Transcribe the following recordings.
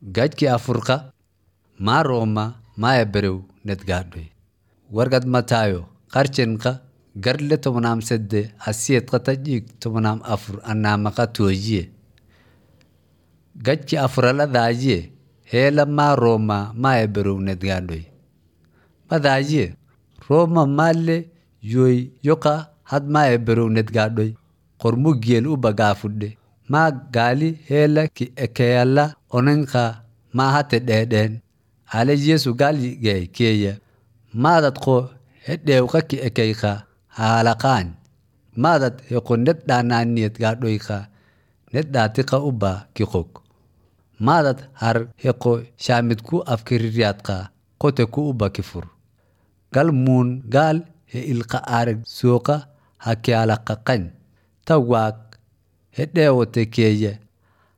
Gajki afurqa maa Roma maa eberew netgaadhoy. Wargad Matayo qarchenqa garle 13 asiyedqa tajiig 14 anamaqa toojiye. Gajki afurala daajiye heela maa Roma maa eberew netgaadhoy. Madaajiye Roma maalle yoy yoqa had maa eberew netgaadhoy qormugiyel uba gaafudhe. Maa gaali heela ki ekeyala onenqa maa hate dheedheen. Ale Yesu gaal gay keeya maadad qo hedheewqa ki ekeyqa haalaqaan. Maadad heqo ned dhaanaaniyet gaadhoyqa ned dhaatiqa uba ki qog. Maadad har heqo shaamidku afkiriryaadqa qoteku uba ki fur. Gal muun gaal he ilqa aarag sooqa hakiyalaqaqan. Ta waaq hedheewote keeya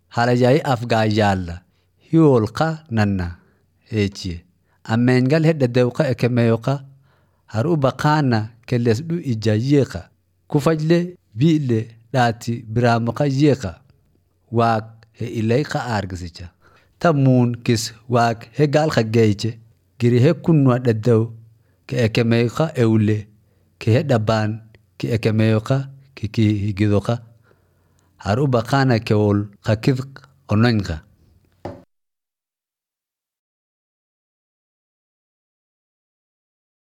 halayayi afgaayaalla hiyoolqa nanna heechiye. Ameengal hedhedewqa ekemeyoqa har uba qaana kelesdhu ija yeeqa. Kufajle bi'le dhaati biraamoqa yeeqa. Waaq he ilayqa aargisicha. Ta muun kis waaq he gaalqa geeyche giri he kunwa dheddew ke ekemeyoqa ewle ke he dhabaan ke ekemeyoqa ke kihigidoqa. Har uba qaana kewol qakidq ononqa.